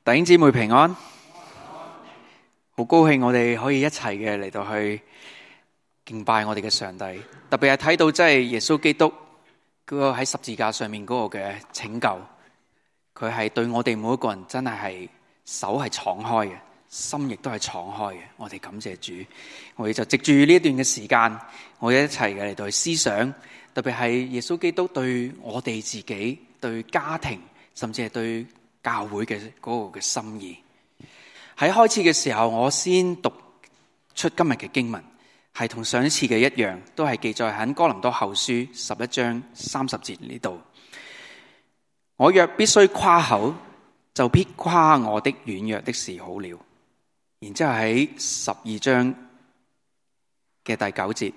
弟兄姊妹平安，好高興我哋可以一齊嘅嚟到去敬拜我哋嘅上帝。特別係睇到真係耶穌基督嗰個喺十字架上面嗰個嘅拯救，佢係對我哋每一個人真係手係敞開嘅，心亦都係敞開嘅。我哋感謝主，我哋就藉住呢一段嘅時間，我哋一齊嘅嚟到去思想，特別係耶穌基督對我哋自己、對家庭，甚至係對教會嘅嗰個嘅心意。喺開始嘅時候，我先讀出今日嘅經文，係同上一次嘅一樣，都係記載喺哥林多後書11章30節呢度。我若必須誇口，就必誇我的軟弱的事好了。然之後喺12章嘅第9節，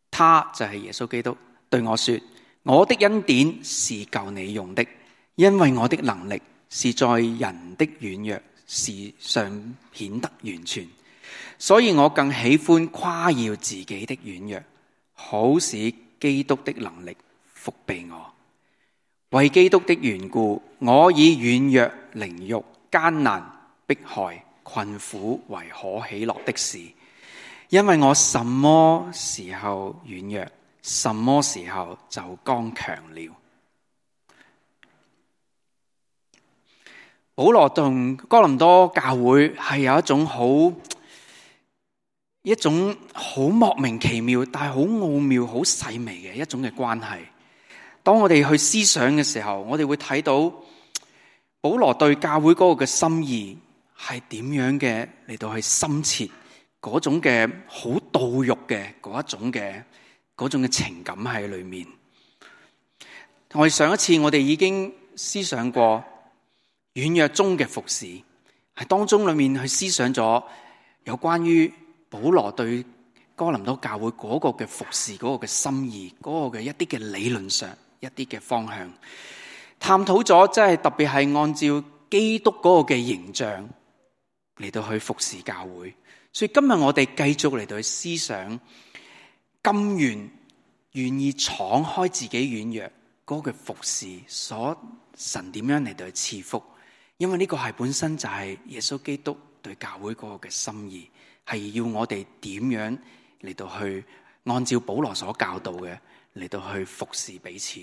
他就係耶穌基督對我說：我的恩典是夠你用的，因為我的能力是在人的軟弱事上顯得完全，所以我更喜歡誇耀自己的軟弱，好使基督的能力覆庇我。為基督的緣故，我以軟弱、凌辱、艱難、迫害、困苦為可喜樂的事，因為我什麼時候軟弱，什麼時候就剛強了。保羅同哥林多教會係有一種好莫名其妙，但係好奧妙、好細微嘅一種嘅關係。當我哋去思想嘅時候，我哋會睇到保羅對教會嗰個嘅心意係點樣嘅嚟到去深切，嗰種嘅好道肉嘅嗰種嘅情感喺裏面。我哋上一次我哋已經思想過軟弱中嘅服侍，係當中裏面去思想咗有關於保羅對哥林多教會嗰個嘅服侍嗰個嘅心意，嗰個嘅一啲嘅理論上一啲嘅方向，探討咗即係特別係按照基督嗰個嘅形象嚟到去服侍教會。所以今日我哋繼續嚟到去思想，甘願意敞開自己軟弱嗰個嘅服侍，所神點樣嚟到去賜福。因為呢個係本身就係耶穌基督對教會嗰個嘅心意，係要我哋點樣嚟到去按照保羅所教導嘅嚟到去服侍彼此。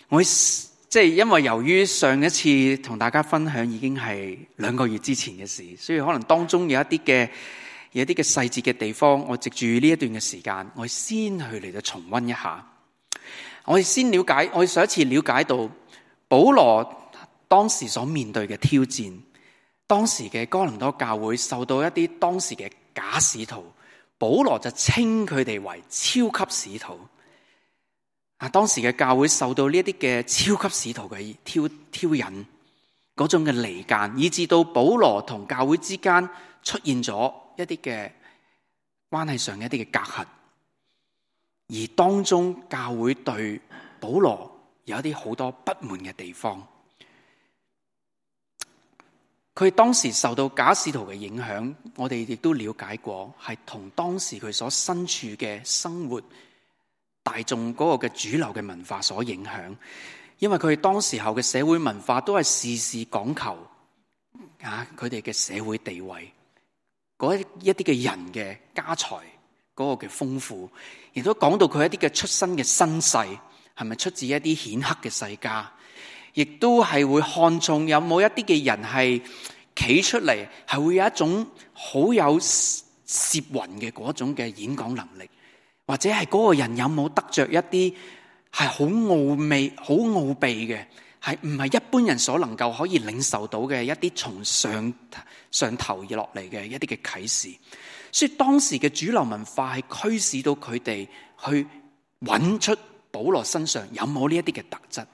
我即係因為由於上一次同大家分享已經係2個月之前嘅事，所以可能當中有一啲嘅細節嘅地方，我藉住呢一段嘅時間，我先去嚟到重溫一下。我哋先了解，我哋上一次了解到保羅當時所面對嘅挑戰，當時嘅哥林多教會受到一啲當時嘅假使徒，保羅就稱佢哋為超級使徒。當時嘅教會受到呢一啲嘅超級使徒嘅挑釁，嗰種嘅離間，以致到保羅同教會之間出現咗一啲嘅關係上嘅一啲嘅隔閡，而當中教會對保羅有一啲好多不滿嘅地方。佢當時受到假使徒嘅影響，我哋亦都了解過，係同當時佢所身處嘅生活大眾嗰個嘅主流嘅文化所影響。因為佢哋當時候嘅社會文化都係事事講求佢哋嘅社會地位，嗰一啲嘅人嘅家財嗰個嘅豐富，亦都講到佢一啲嘅出身嘅身世係咪出自一啲顯赫嘅世家，亦都係會看重有冇一啲嘅人係企出嚟，係會有一種好有攝魂嘅嗰種嘅演講能力，或者係嗰個人有冇得着一啲係好奧秘、好奧秘嘅，係唔係一般人所能夠可以領受到嘅一啲從上頭而落嚟嘅一啲嘅啟示。所以當時嘅主流文化係驅使到佢哋去揾出保羅身上有冇呢一啲嘅特質。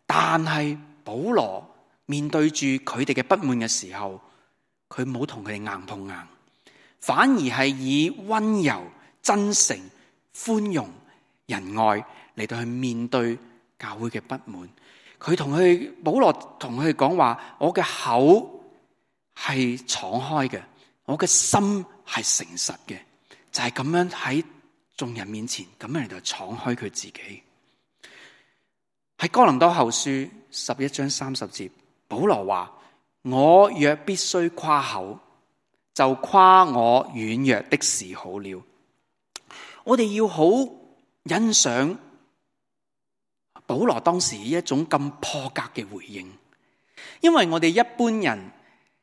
但係保羅面對住佢哋嘅不滿嘅時候，佢冇同佢哋硬碰硬，反而係以溫柔、真誠、寬容、仁愛嚟到去面對教會嘅不滿。保羅同佢哋講話：我嘅口係敞開嘅，我嘅心係誠實嘅，就係咁樣喺眾人面前咁樣嚟到敞開佢自己。喺哥林多後書11章30節，保羅話：我若必須誇口，就誇我軟弱的事好了。我哋要好欣賞保羅當時一種咁破格嘅回應，因為我哋一般人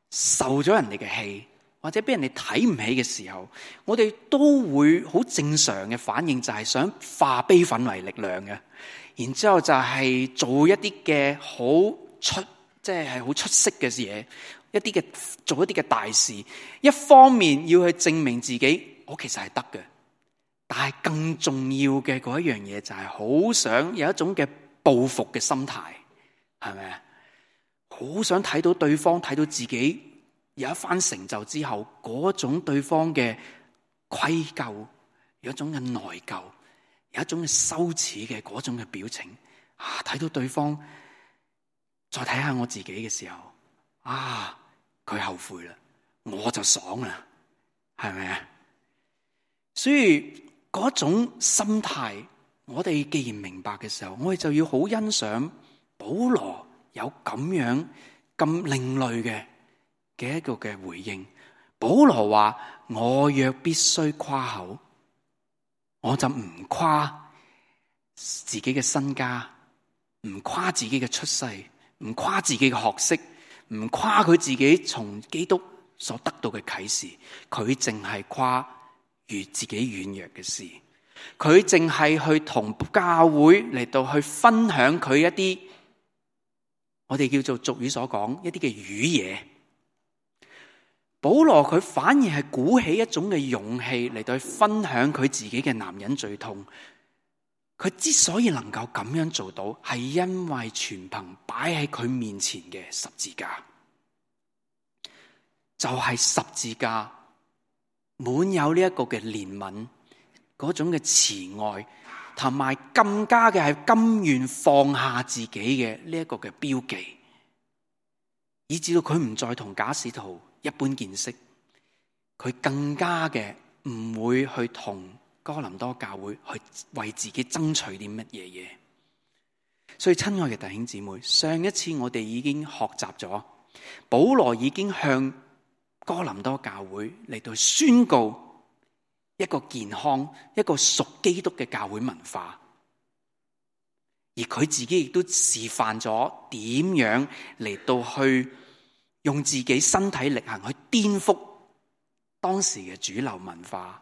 受咗人哋嘅氣，或者俾人哋睇唔起嘅時候，我哋都會好正常嘅反應，就係想化悲憤為力量嘅，然之後就係做一啲嘅即係好出色嘅嘢，做一啲嘅大事。一方面要去證明自己，我其實係得嘅，但係更重要嘅嗰一樣嘢就係好想有一種嘅報復嘅心態，係咪啊？好想睇到對方，睇到自己有一番成就之後，嗰種對方嘅愧疚，有一種嘅內疚，有一種嘅羞恥嘅嗰種嘅表情啊！睇到對方，再睇下我自己嘅時候，啊，佢後悔啦，我就爽啦，係咪啊？所以嗰種心態，我哋既然明白嘅時候，我哋就要好欣賞保羅有咁樣咁另類嘅一個嘅回應。保羅話：我若必須誇口，我就唔誇自己嘅身家，唔誇自己嘅出世，唔誇自己嘅學識，唔誇佢自己從基督所得到嘅啟示，佢淨係誇自己軟弱嘅事，佢淨係去同教會嚟到去分享佢一啲我哋叫做俗語所講一啲嘅瘀嘢。保羅佢反而係鼓起一種嘅勇氣嚟到去分享佢自己嘅男人最痛。佢之所以能夠咁樣做到，係因為全憑擺喺佢面前嘅十字架，就係十字架滿有呢一個嘅憐憫，嗰種嘅慈愛，同埋更加嘅係甘願放下自己嘅呢一個嘅標記，以至到佢唔再同假使徒一般見識，佢更加嘅唔會去同哥林多教會去為自己爭取啲乜嘢嘢。所以親愛嘅弟兄姊妹，上一次我哋已經學習咗，保羅已經向哥林多教會嚟到宣告一個健康、一個屬基督嘅教會文化，而佢自己亦都示範咗點樣嚟到去用自己身體力行去顛覆當時嘅主流文化，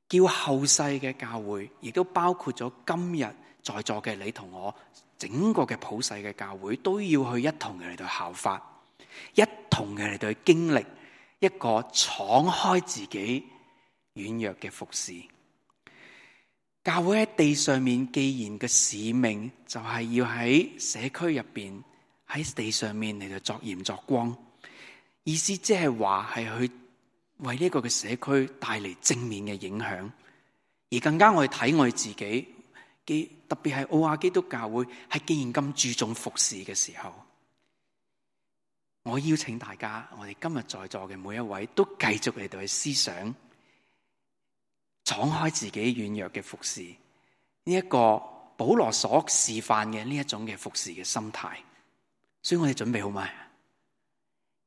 叫後世嘅教會，亦都包括咗今日在座嘅你同我，整個嘅普世嘅教會都要去一同嘅嚟到效法，一同嘅嚟到去經歷一個敞開自己軟弱嘅服侍。教會喺地上面，既然嘅使命就係要喺社區入邊，喺地上面嚟到作鹽作光，意思即係話係去為呢個嘅社區帶嚟正面嘅影響。而更加我哋睇我哋自己，特別係奧亞基督教會，係既然咁注重服侍嘅時候，我邀請大家，我哋今日在座嘅每一位都繼續嚟到去思想，敞開自己軟弱嘅服侍，呢一個保羅所示範嘅呢一種嘅服侍嘅心態。所以我哋準備好未？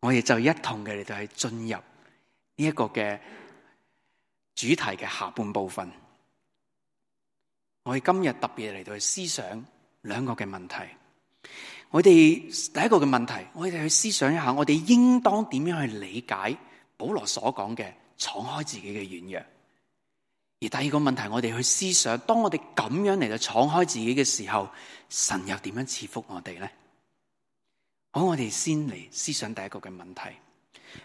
我哋就一同嘅嚟到去進入呢一個嘅主題嘅下半部分。我哋今日特別嚟到去思想兩個嘅問題。我哋第一個嘅問題，我哋去思想一下，我哋應當點樣去理解保羅所講嘅敞開自己嘅軟弱。而第二個問題，我哋去思想，當我哋咁樣嚟到敞開自己嘅時候，神又點樣賜福我哋呢？好，我哋先嚟思想第一個嘅問題，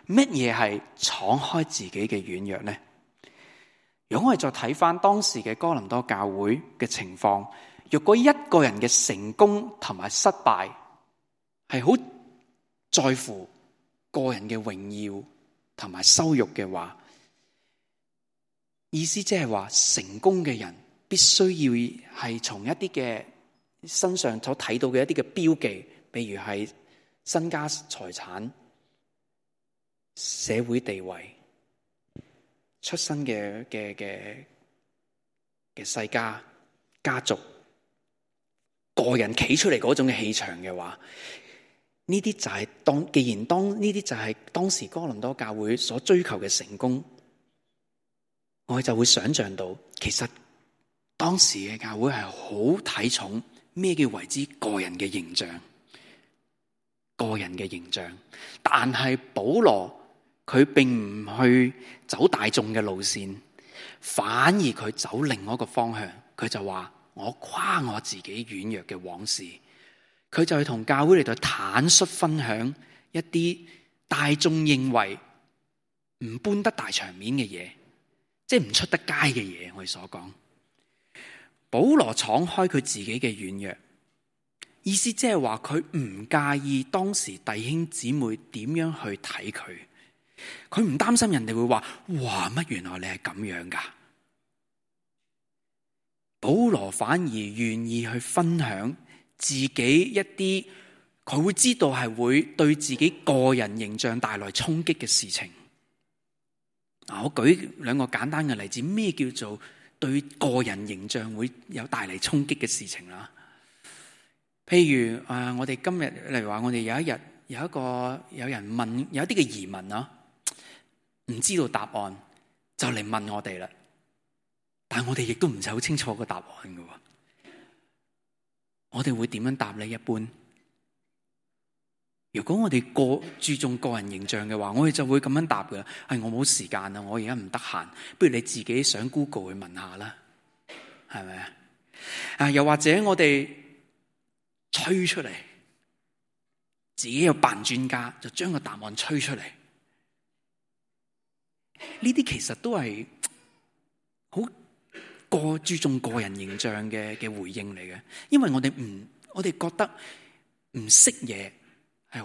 乜嘢係敞開自己嘅軟弱呢？如果我哋再睇翻當時嘅哥林多教會嘅情況，若果一個人嘅成功同埋失敗係好在乎個人嘅榮耀同埋羞辱嘅話，意思即係話成功嘅人必須要係從一啲嘅身上所睇到嘅一啲嘅標記，譬如係身家財產、社會地位、出身嘅世家、家族、個人企出嚟嗰種嘅氣場嘅話，呢啲就係既然呢啲就係當時哥林多教會所追求嘅成功，我哋就會想象到，其實當時嘅教會係好睇重咩叫為之個人嘅形象，個人嘅形象。但係保羅佢並唔去走大眾嘅路線，反而佢走另外一個方向。佢就話：我誇我自己軟弱嘅往事。佢就去同教會嚟到坦率分享一啲大眾認為唔搬得大場面嘅嘢，即係唔出得街嘅嘢。我哋所講，保羅敞開佢自己嘅軟弱，意思即係話佢唔介意當時弟兄姊妹點樣去睇佢，佢唔擔心人哋會話：哇，乜原來你係咁樣㗎？保羅反而願意去分享自己一啲佢會知道係會對自己個人形象帶來衝擊嘅事情。我舉兩個簡單嘅例子，咩叫做對個人形象會有帶嚟衝擊嘅事情啦？譬如我哋今日例如話，我哋有一日有人問有一啲嘅疑問啊，唔知道答案就嚟問我哋啦。但係我哋亦都唔係好清楚個答案嘅，我哋會點樣答呢？一般如果我哋注重個人形象嘅話，我哋就會咁樣答嘅。係我冇時間啊，我而家唔得閒，不如你自己上 Google 去問下啦，係咪啊？又或者我哋吹出嚟，自己又扮專家，就將個答案吹出嚟。呢啲其實都係好注重個人形象嘅回應嚟嘅，因為我哋覺得唔識嘢係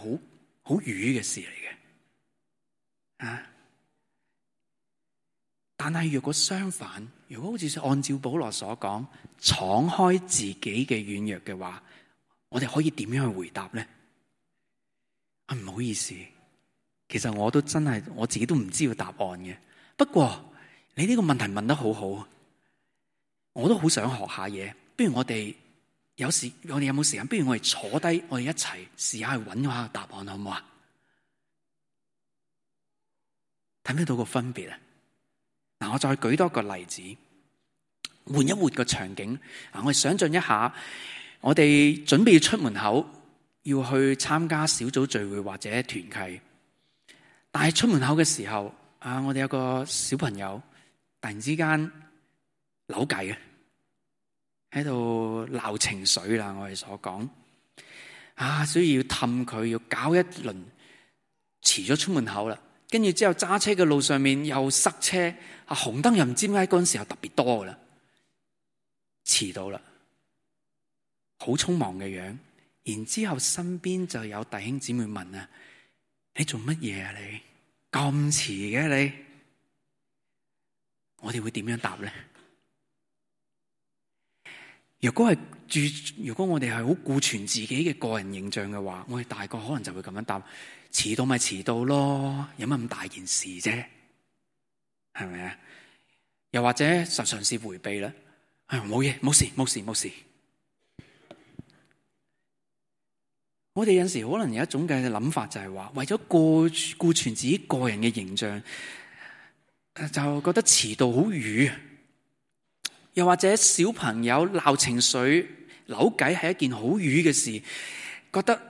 好愚嘅事嚟嘅啊！但係如果相反，如果好似按照保羅所講，敞開自己嘅軟弱嘅話，我哋可以點樣去回答呢？唔好意思，其實我自己都唔知道答案嘅。不過你呢個問題問得好好。我都好想學下嘢，不如我哋有冇時間？不如我哋坐低，我哋一齊試下去揾下個答案，好唔好啊？睇唔睇到個分別啊？嗱，我再舉多個例子，換一換個場景。我哋想象一下，我哋準備要出門口，要去參加小組聚會或者團契，但係出門口嘅時候，我哋有個小朋友突然之間扭計嘅，喺度鬧情緒啦。我哋所講所以要氹佢，要搞一輪，遲咗出門口啦。跟住之後揸車嘅路上面又塞車，紅燈又唔知點解嗰陣時候特別多噶啦，遲到啦，好匆忙嘅樣。然之後身邊就有弟兄姊妹問啊：你做乜嘢啊？你咁遲嘅你？我哋會點樣答咧？如果我哋係好顧全自己嘅個人形象嘅話，我哋大個可能就會咁樣答：遲到咪遲到咯，有乜咁大件事啫？係咪啊？又或者嘗試回避啦，冇嘢，冇事。我哋有陣時可能有一種嘅諗法，就係話為咗顧全自己個人嘅形象，就覺得遲到好愚。又或者小朋友鬧情緒、扭計係一件好愚嘅事，覺得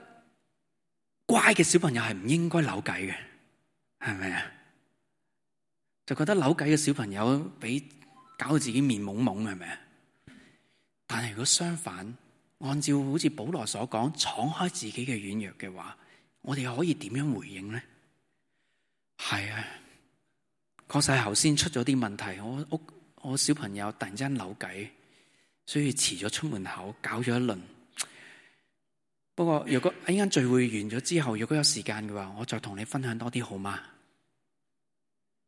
乖嘅小朋友係唔應該扭計嘅，係咪啊？就覺得扭計嘅小朋友俾搞到自己面懵懵，係咪啊？但係如果相反，按照好似保羅所講，敞開自己嘅軟弱嘅話，我哋可以點樣回應呢？係啊，確實係頭先出咗啲問題，我小朋友突然之間扭計，所以遲咗出門口，搞咗一輪。不過如果一陣間聚會完咗之後，如果有時間嘅話，我再同你分享多啲好嗎？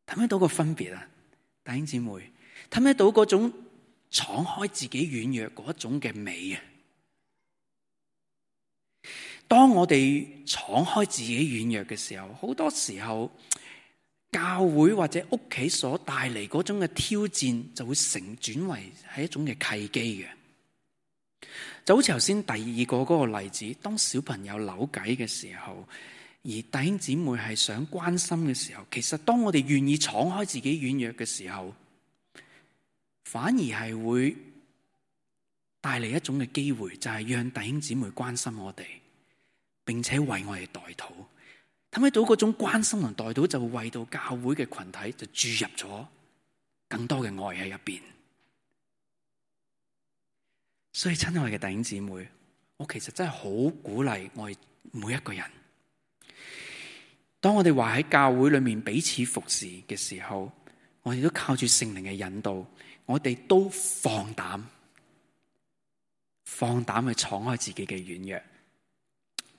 睇唔睇到個分別啊？弟兄姊妹，睇唔睇到嗰種敞開自己軟弱嗰種嘅美啊？當我哋敞開自己軟弱嘅時候，好多時候教會或者屋企所帶嚟嗰種嘅挑戰，就會轉為係一種嘅契機嘅。就好似頭先第二個嗰個例子，當小朋友扭計嘅時候，而弟兄姊妹係想關心嘅時候，其實當我哋願意敞開自己軟弱嘅時候，反而係會帶嚟一種嘅機會，就係讓弟兄姊妹關心我哋，並且為我哋代禱。睇到嗰種關心同代禱，就會為到教會嘅群體就注入咗更多嘅愛喺入邊。所以親愛嘅弟兄姊妹，我其實真係好鼓勵我哋每一個人，當我哋話喺教會裏面彼此服侍嘅時候，我哋都靠住聖靈嘅引導，我哋都放膽去敞開自己嘅軟弱。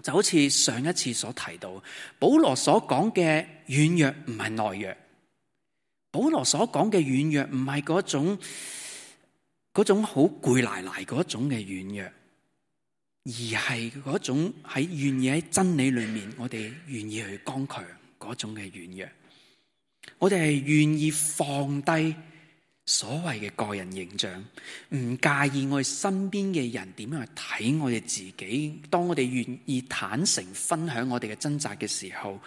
就好似上一次所提到，保羅所講嘅軟弱唔係懦弱，保羅所講嘅軟弱唔係嗰種好攰賴賴嗰種嘅軟弱，而係嗰種喺願意喺真理裏面，我哋願意去剛強嗰種嘅軟弱。我哋係願意放低所謂嘅個人形象，唔介意我哋身邊嘅人點樣去睇我哋自己。當我哋願意坦誠分享我哋嘅掙扎嘅時候，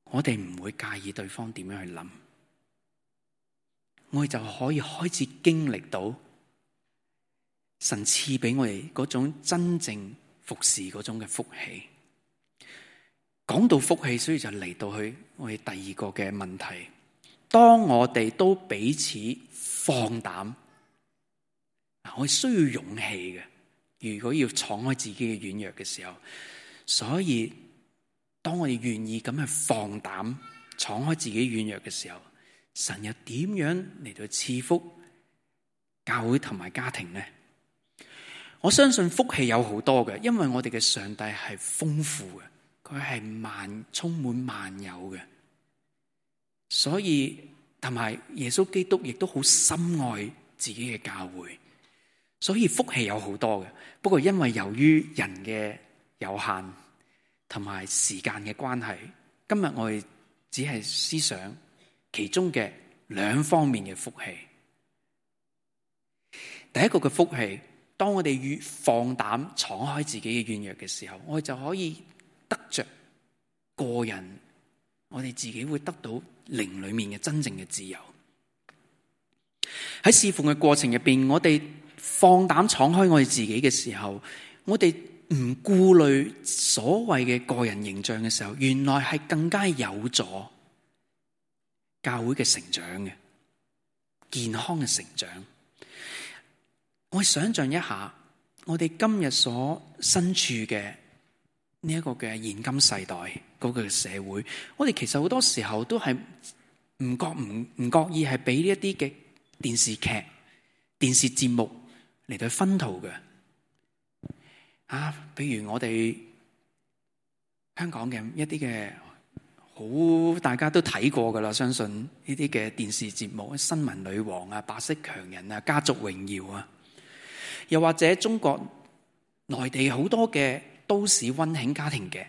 我哋唔會介意對方點樣去諗，我哋就可以開始經歷到神賜俾我哋嗰種真正服侍嗰種嘅福氣。講到福氣，所以就嚟到去我哋第二個嘅問題。當我哋都彼此放膽，我哋需要勇氣嘅。如果要敞開自己嘅軟弱嘅時候，所以當我哋願意咁去放膽敞開自己軟弱嘅時候，神又點樣嚟到賜福教會同埋家庭呢？我相信福氣有好多嘅，因為我哋嘅上帝係豐富嘅，佢係充滿萬有嘅。所以同埋耶穌基督亦都好深愛自己嘅教會，所以福氣有好多嘅。不過因為由於人嘅有限同埋時間嘅關係，今日我哋只係思想其中嘅兩方面嘅福氣。第一個嘅福氣，當我哋越放膽敞開自己嘅軟弱嘅時候，我哋就可以得着個人，我哋自己會得到靈裏面嘅真正嘅自由。喺侍奉嘅過程入邊，我哋放膽敞開我哋自己嘅時候，我哋唔顧慮所謂嘅個人形象嘅時候，原來係更加有助教會嘅成長嘅健康嘅成長。我想象一下，我哋今日所身處嘅呢一個嘅現今世代嗰個社會，我哋其實好多時候都係唔覺意係俾呢一啲嘅電視劇、電視節目嚟到薰陶嘅。比如我哋香港嘅一啲嘅好大家都睇過噶啦，相信呢啲嘅電視節目，新聞女王啊、白色強人啊、家族榮耀啊，又或者中國內地好多嘅都市溫馨家庭嘅，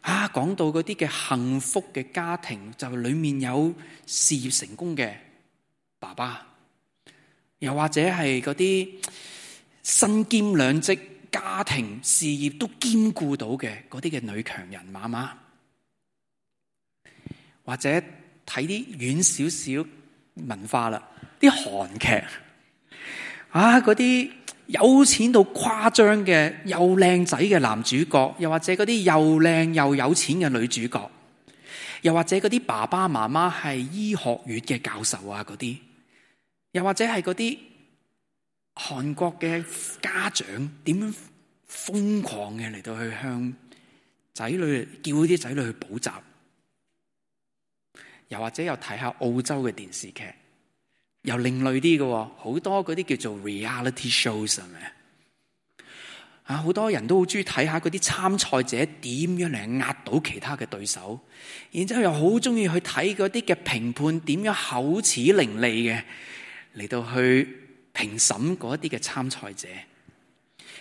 講到嗰啲嘅幸福嘅家庭，就裏面有事業成功嘅爸爸，又或者係嗰啲身兼兩職，家庭事業都兼顧到嘅嗰啲嘅女強人媽媽，或者睇啲遠少少文化啦，啲韓劇嗰啲有錢到誇張嘅又靚仔嘅男主角，又或者嗰啲又靚又有錢嘅女主角，又或者嗰啲爸爸媽媽係醫學院嘅教授啊，嗰啲，又或者係嗰啲韓國嘅家長點樣瘋狂嘅嚟到去向仔女叫啲仔女去補習，又或者又睇下澳洲嘅電視劇，又另類啲嘅，好多嗰啲叫做 reality shows 係咪？好多人都好中意睇下嗰啲參賽者點樣嚟壓倒其他嘅對手，然之後又好中意去睇嗰啲嘅評判點樣口齒伶俐嘅嚟到去評審嗰一啲嘅參賽者。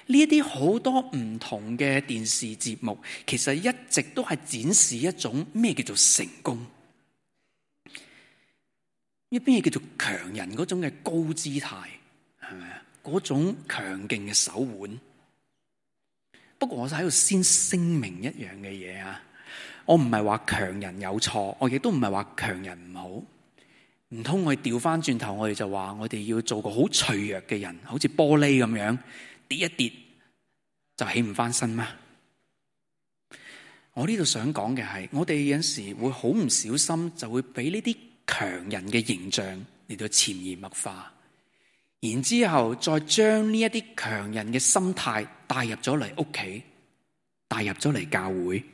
呢一啲好多唔同嘅電視節目，其實一直都係展示一種咩叫做成功，一邊嘢叫做強人嗰種嘅高姿態，係咪啊？嗰種強勁嘅手腕。不過我就喺度先聲明一樣嘅嘢啊，我唔係話強人有錯，我亦都唔係話強人唔好。唔通我哋調翻轉頭，我哋就話我哋要做個好脆弱嘅人，好似玻璃咁樣跌一跌就起唔翻身咩？我呢度想講嘅係，我哋有陣時會好唔小心，就會俾呢啲強人嘅形象嚟到潛移默化，然之後再將呢一啲強人嘅心態帶入咗嚟屋企，帶入咗嚟教會，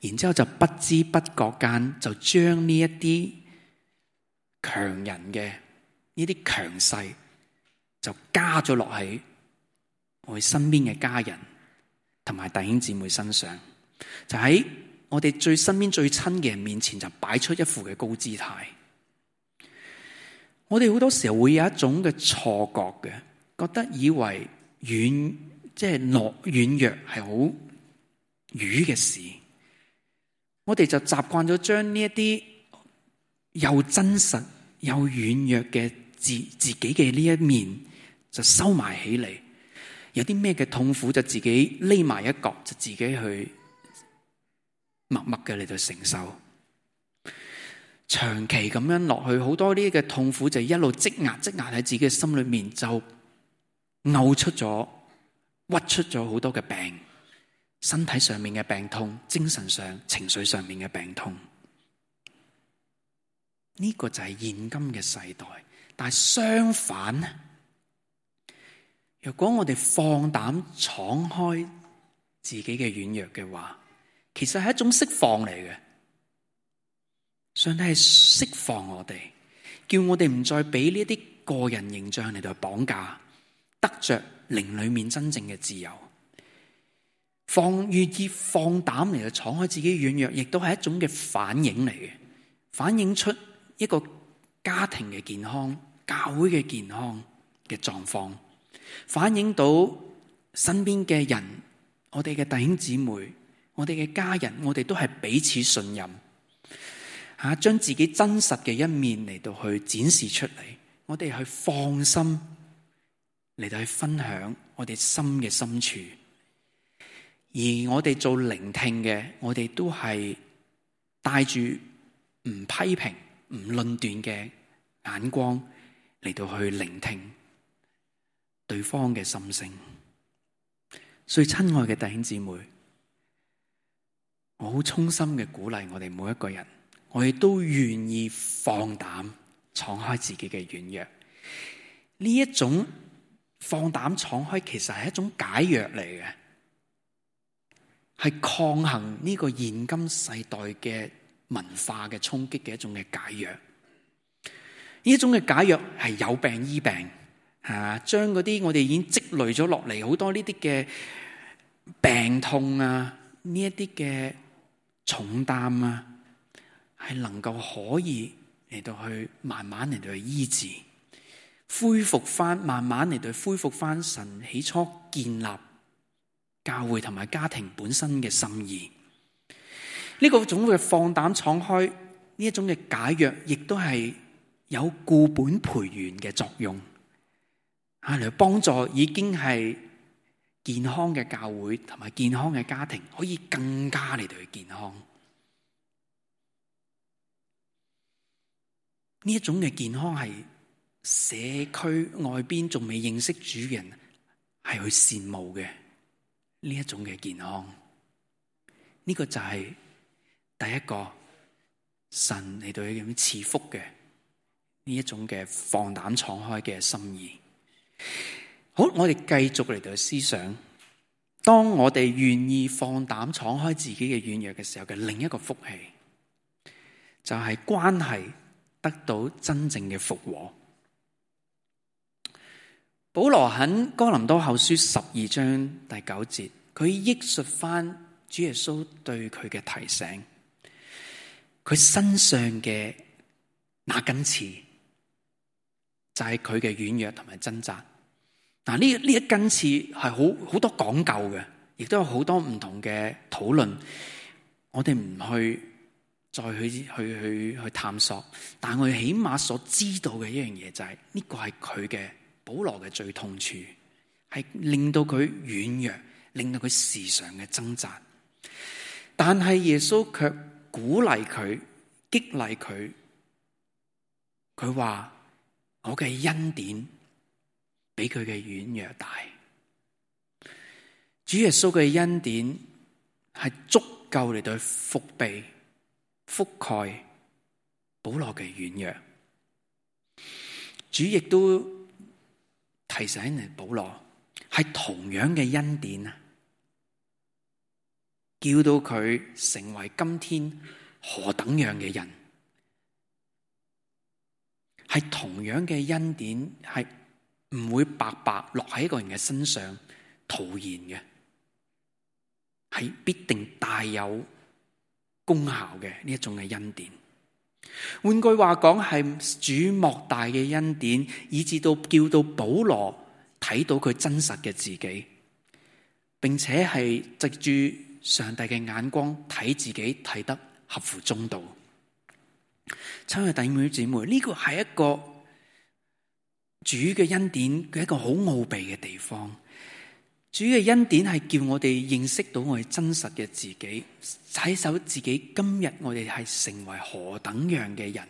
然之後就不知不覺間就將呢一啲強人嘅呢啲強勢就加咗落喺我哋身邊嘅家人同埋弟兄姊妹身上，就喺我哋最身邊最親嘅人面前就擺出一副嘅高姿態。我哋好多時候會有一種嘅錯覺嘅，覺得以為軟弱係好愚嘅事，我哋就習慣咗將呢一啲又真實又軟弱嘅自己嘅呢一面就收埋起嚟。有啲咩嘅痛苦就自己匿埋一角，就自己去默默嘅嚟到承受。長期咁樣落去，好多呢啲嘅痛苦就一路積壓喺自己嘅心裏面，就嘔出咗、屈出咗好多嘅病，身體上面嘅病痛，精神上、情緒上面嘅病痛。呢個就係現今嘅世代。但係相反呢，如果我哋放膽敞開自己嘅軟弱嘅話，其實係一種釋放嚟嘅。上帝係釋放我哋，叫我哋唔再俾呢啲個人形象嚟到綁架，得着靈裏面真正嘅自由。願意放膽嚟到敞開自己嘅軟弱，亦都係一種嘅反應嚟嘅，反映出一個家庭嘅健康、教會嘅健康嘅狀況，反映到身邊嘅人，我哋嘅弟兄姊妹，我哋嘅家人，我哋都係彼此信任。將自己真實嘅一面嚟到去展示出嚟，我哋去放心嚟到去分享我哋心嘅深處，而我哋做聆聽嘅，我哋都係帶住唔批評、唔論斷嘅眼光嚟到去聆聽對方嘅心聲。所以親愛嘅弟兄姊妹，我好衷心嘅鼓勵我哋每一個人，我哋都願意放膽敞開自己嘅軟弱。呢一種放膽敞開，其實係一種解藥嚟嘅，係抗衡呢個現今世代嘅文化嘅衝擊嘅一種嘅解藥。呢一種嘅解藥係有病醫病，將嗰啲我哋已經積累咗落嚟好多呢啲嘅病痛啊，呢一啲嘅重擔啊，係能夠可以嚟到去慢慢嚟到去醫治，恢復翻，慢慢嚟到恢復翻神起初建立教會同埋家庭本身嘅心意。呢個種嘅放膽敞開，呢一種嘅解藥，亦都係有固本培元嘅作用，嚟幫助已經係健康嘅教會同埋健康嘅家庭，可以更加嚟到去健康。呢一種嘅健康係社區外邊仲未認識主嘅人係去羨慕嘅，呢一種嘅健康。呢個就係第一個神嚟到去咁賜福嘅呢一種嘅放膽敞開嘅心意。好，我哋繼續嚟到思想，當我哋願意放膽敞開自己嘅軟弱嘅時候嘅另一個福氣，就係關係得到真正嘅復和。保羅喺哥林多後書12章第9節，佢憶述翻主耶穌對佢嘅提醒，佢身上嘅那根刺就係佢嘅軟弱同埋掙扎。嗱，呢一根刺係好多講究嘅，亦都有好多唔同嘅討論，我哋唔去再去探索，但我哋起碼所知道嘅一樣嘢就係呢個係佢嘅保羅嘅最痛處，係令到佢軟弱，令到佢時常嘅掙扎。但係耶穌卻鼓勵佢，激勵佢。佢話：我嘅恩典比佢嘅軟弱大。主耶穌嘅恩典係足夠嚟到覆庇、覆蓋保羅嘅軟弱。主亦都提醒你，保羅係同樣嘅恩典啊，叫到佢成為今天何等樣嘅人。係同樣嘅恩典，係唔會白白落喺一個人嘅身上徒然嘅，係必定大有功效嘅呢一種嘅恩典。換句話講，係主莫大嘅恩典，以致到叫到保羅睇到佢真實嘅自己，並且係藉住上帝嘅眼光睇自己，睇得合乎中道。親愛的弟兄姊妹，呢個係一個主嘅恩典嘅一個好奧秘嘅地方。主嘅恩典係叫我哋認識到我哋真實嘅自己，睇守自己今日我哋係成為何等樣嘅人。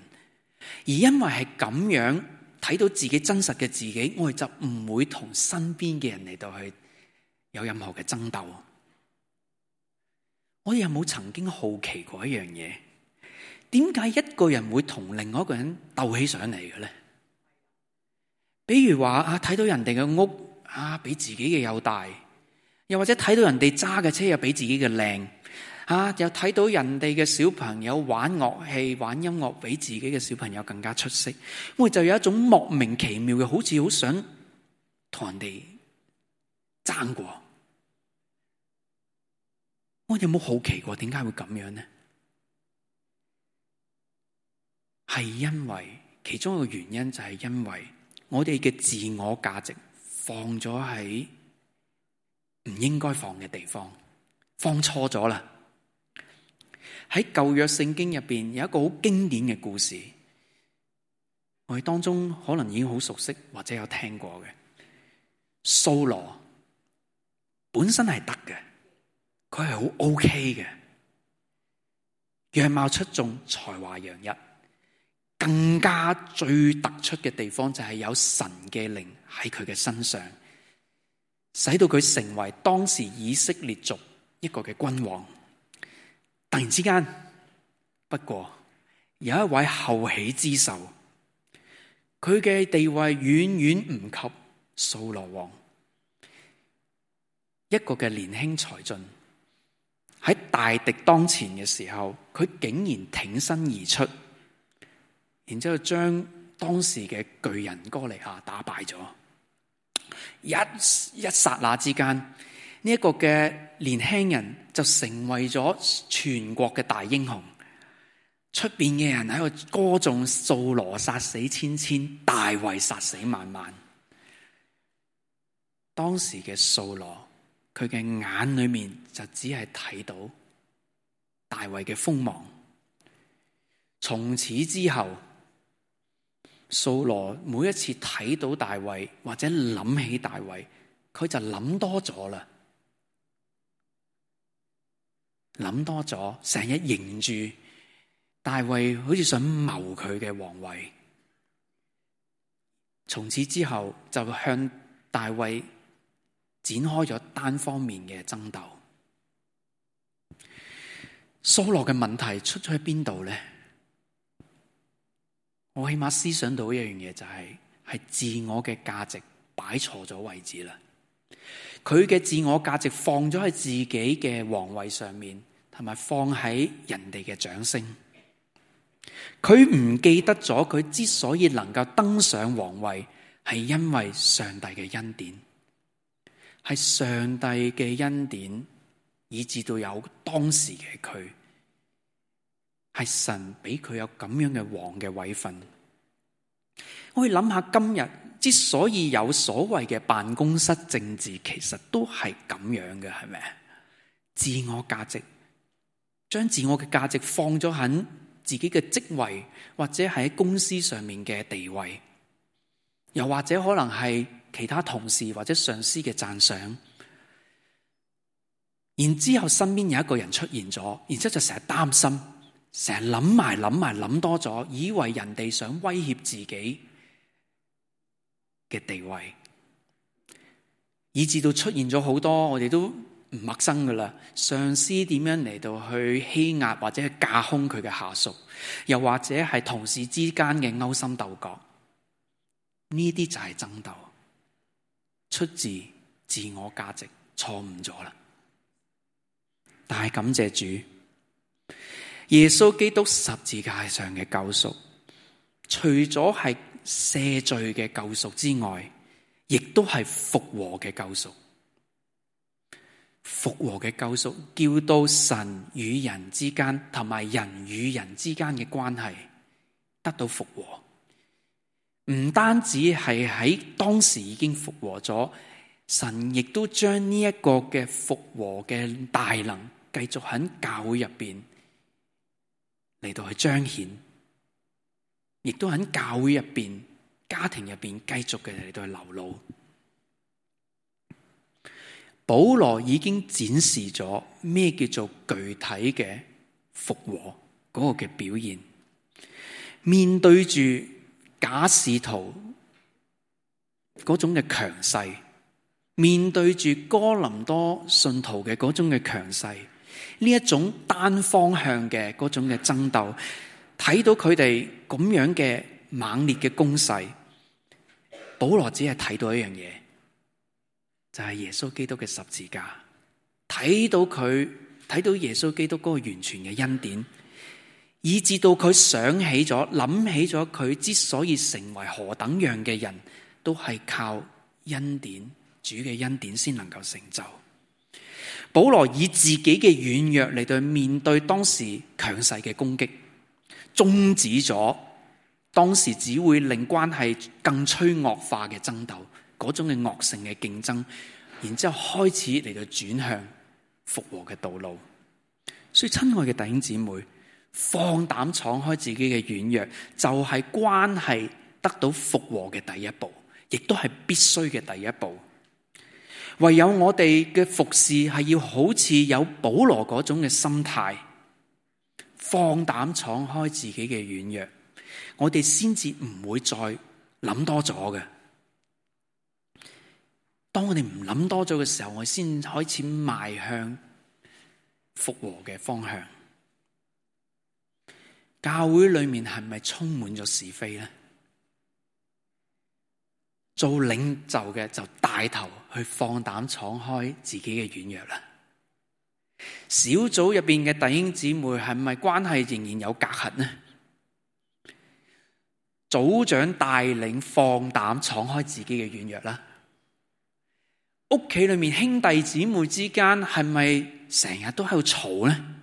而因為係咁樣睇到自己真實嘅自己，我哋就唔會同身邊嘅人嚟到去有任何嘅爭鬥。我哋有冇曾經好奇過一樣嘢？點解一個人會同另外一個人鬥起上嚟嘅咧？比如話睇到人哋嘅屋比自己嘅又大，又或者睇到人哋揸嘅車又比自己嘅靚，又睇到人哋嘅小朋友玩樂器、玩音樂比自己嘅小朋友更加出色，我哋就有一種莫名其妙嘅，好似好想同人哋爭過。我有冇好奇過點解會咁樣呢？係因為其中一個原因就係因為我哋嘅自我價值放咗喺唔應該放嘅地方，放錯咗啦。喺舊約聖經入邊有一個好經典嘅故事，我哋當中可能已經好熟悉或者有聽過嘅。掃羅本身係得嘅，佢係好 OK 嘅，樣貌出眾，才華洋溢。更加最突出嘅地方就係有神嘅靈喺佢嘅身上，使到佢成為當時以色列族一個嘅君王。突然之間，不過有一位後起之秀，佢嘅地位遠遠唔及掃羅王。一個嘅年輕才俊喺大敵當前嘅時候，佢竟然挺身而出，然之後將當時嘅巨人哥利亞打敗咗。一剎那之間，呢一個嘅年輕人就成為咗全國嘅大英雄。出邊嘅人喺度歌頌掃羅殺死千千，大衛殺死萬萬。當時嘅掃羅，佢嘅眼裏面就只係睇到大衛嘅鋒芒。從此之後，掃羅每一次睇到大衛或者諗起大衛，佢就諗多咗啦，諗多咗，成日認住大衛，好似想謀佢嘅皇位。從此之後就向大衛展開咗單方面嘅爭鬥。掃羅嘅問題出咗喺邊度呢？我起碼思想到一樣嘢，就係自我嘅價值擺錯咗位置啦。佢嘅自我價值放咗喺自己嘅皇位上面，同埋放喺人哋嘅掌聲。佢唔記得咗，佢之所以能夠登上皇位，係因為上帝嘅恩典，係上帝嘅恩典，以至到有當時嘅佢。係神俾佢有咁樣嘅王嘅位份。我可以諗下，今日之所以有所謂嘅辦公室政治，其實都係咁樣嘅，係咪？自我價值，將自我嘅價值放咗喺自己嘅職位，或者喺公司上面嘅地位，又或者可能係其他同事或者上司嘅讚賞，然之後身邊有一個人出現咗，然之後就成日擔心，成日諗多咗，以為人哋想威脅自己嘅地位，以至到出現咗好多我哋都唔陌生噶啦。上司點樣嚟到去欺壓或者去架空佢嘅下屬，又或者係同事之間嘅勾心鬥角，呢啲就係爭鬥，出自自我價值錯誤咗啦。但係感謝主，耶穌基督十字架上嘅救贖，除咗係赦罪嘅救贖之外，亦都係復和嘅救贖。復和嘅救贖，叫到神與人之間同埋人與人之間嘅關係得到復和。唔單止係喺當時已經復和咗，神亦都將呢一個嘅復和嘅大能繼續喺教會入邊嚟到去彰顯，亦都喺教會入邊、家庭入邊繼續嘅嚟到去流露。保羅已經展示咗咩叫做具體嘅復和嗰個嘅表現。面對住假使徒嗰種嘅強勢，面對住哥林多信徒嘅嗰種嘅強勢，呢一種單方向嘅嗰種嘅爭鬥，睇到佢哋咁樣嘅猛烈嘅攻勢，保羅只係睇到一樣嘢，就係耶穌基督嘅十字架，睇到耶穌基督嗰個完全嘅恩典，以至到佢想起咗、諗起咗佢之所以成為何等樣嘅人，都係靠恩典、主嘅恩典先能夠成就。保羅以自己嘅軟弱嚟到面對當時強勢嘅攻擊，終止咗當時只會令關係更趨惡化嘅爭鬥，嗰種嘅惡性嘅競爭，然之後開始嚟到轉向復和嘅道路。所以親愛嘅弟兄姊妹，放膽敞開自己嘅軟弱，就係關係得到復和嘅第一步，亦都係必須嘅第一步。唯有我哋嘅服侍係要好似有保羅嗰種嘅心態，放膽敞開自己嘅軟弱，我哋先至唔會再諗多咗嘅。當我哋唔諗多咗嘅時候，我哋先開始邁向復和嘅方向。教會裏面係咪充滿咗是非呢？做領袖嘅就帶頭去放膽敞開自己嘅軟弱啦。小組入邊嘅弟兄姊妹係咪關係仍然有隔閡呢？組長帶領放膽敞開自己嘅軟弱啦。屋企裏面兄弟姊妹之間係咪成日都喺度嘈呢？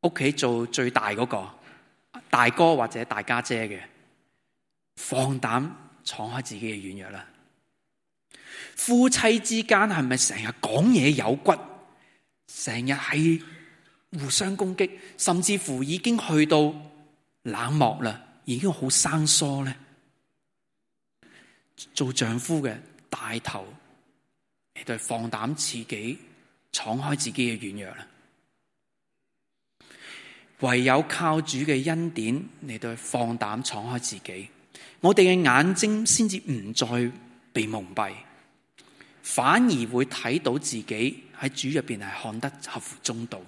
屋企做最大嗰個大哥或者大家姐嘅，放膽敞開自己嘅軟弱啦。夫妻之間係咪成日講嘢有骨，成日係互相攻擊，甚至乎已經去到冷漠啦，已經好生疏呢？做丈夫嘅帶頭嚟到放膽自己敞開自己嘅軟弱啦。唯有靠主嘅恩典嚟到放膽敞開自己，我哋嘅眼睛先至唔再被蒙蔽，反而會睇到自己喺主入邊係看得合乎中道，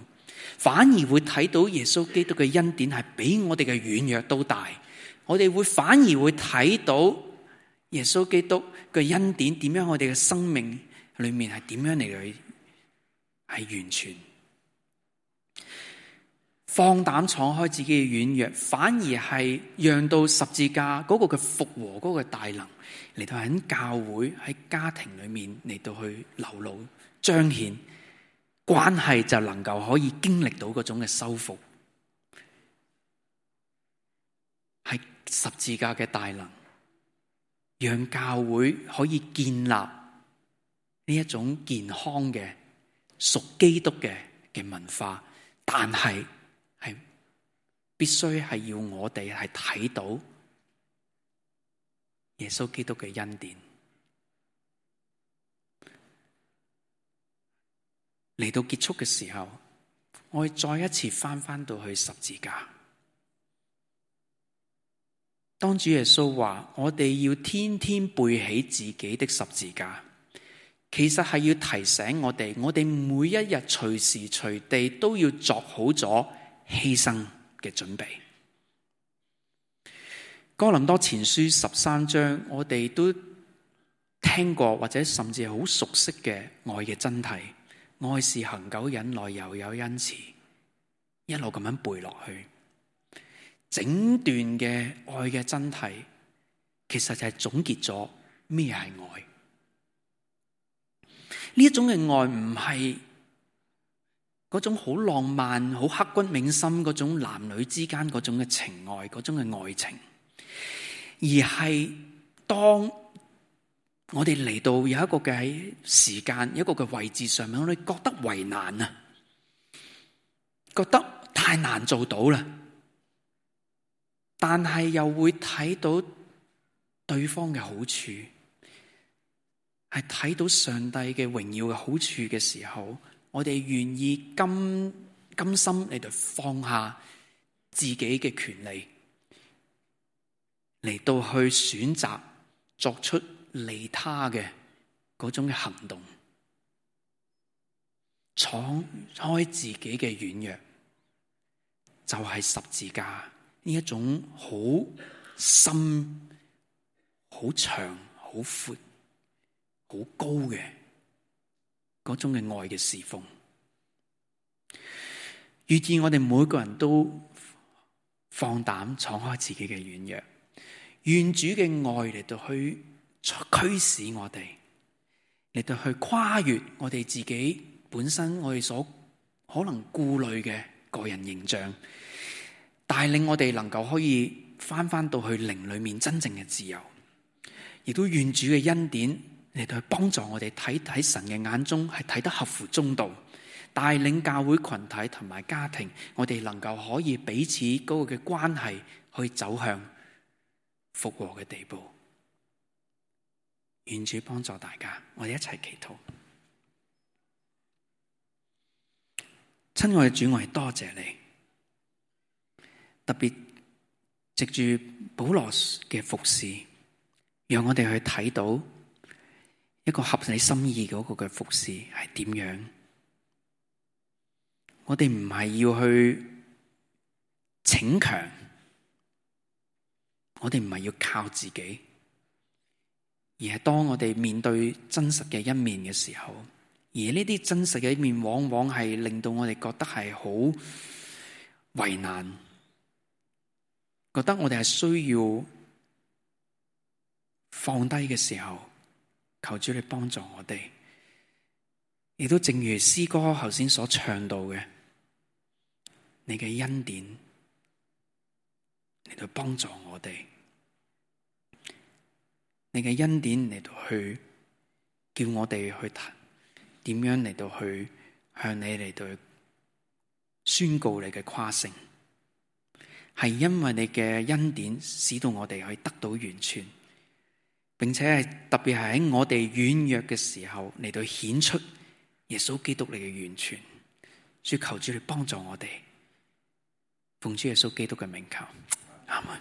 反而會睇到耶穌基督嘅恩典係比我哋嘅軟弱都大。我哋反而會睇到耶穌基督嘅恩典點樣，我哋嘅生命裏面係點樣嚟去係完全。放膽敞開自己嘅軟弱，反而係讓到十字架嗰個嘅復和嗰個大能嚟到喺教會喺家庭裏面嚟到去流露彰顯，關係就能夠可以經歷到嗰種嘅修復，係十字架嘅大能，讓教會可以建立呢一種健康嘅屬基督嘅文化，但係必須係要我哋係睇到耶穌基督嘅恩典。嚟到結束嘅時候，我哋再一次翻到去十字架。當主耶穌話我哋要天天背起自己的十字架，其實係要提醒我哋每一日隨時隨地都要作好咗犧牲嘅準備。哥林多前書13章，我哋都聽過或者甚至係好熟悉嘅愛嘅真諦。愛是恒久忍耐，又有恩慈，一路咁樣背落去，整段嘅愛嘅真諦，其實就係總結咗咩係愛。呢一種嘅愛唔係嗰種好浪漫、好刻骨銘心嗰種男女之間嗰種嘅情愛、嗰種嘅愛情，而係當我哋嚟到有一個嘅時間，一個嘅位置上面，我哋覺得為難啊，覺得太難做到啦，但係又會睇到對方嘅好處，係睇到上帝嘅榮耀嘅好處嘅時候，我哋願意甘心嚟到放下自己嘅權利，嚟到去選擇作出利他嘅嗰種嘅行動，敞開自己嘅軟弱，就係十字架呢一種好深、好長、好闊、好高嘅嗰種嘅愛嘅侍奉。願意我哋每個人都放膽敞開自己嘅軟弱，願主嘅愛嚟到去驅使我哋，嚟到去跨越我哋自己本身我哋所可能顧慮嘅個人形象，帶領我哋能夠可以翻到去靈裏面真正嘅自由，亦都願主嘅恩典嚟到去幫助我哋睇神嘅眼中係睇得合乎中道，帶領教會群體同埋家庭，我哋能夠可以彼此嗰個嘅關係去走向復和嘅地步。願主幫助大家，我哋一齊祈禱。親愛嘅主，我哋多謝你，特別藉住保羅嘅服侍，讓我哋去睇到一個合你心意嗰個嘅服侍係點樣。我哋唔係要去逞強，我哋唔係要靠自己，而係當我哋面對真實嘅一面嘅時候，而呢啲真實嘅一面往往係令到我哋覺得係好為難，覺得我哋係需要放低嘅時候，求主你幫助我哋。亦都正如詩歌頭先所唱到嘅，你嘅恩典嚟到幫助我哋，你嘅恩典嚟到去叫我哋去點樣嚟到去向你嚟到宣告你嘅誇勝，係因為你嘅恩典使到我哋可以得到完全，並且係特別係喺我哋軟弱嘅時候嚟到顯出耶穌基督你嘅完全。主，求主你幫助我哋，奉主耶穌基督嘅名求，阿們。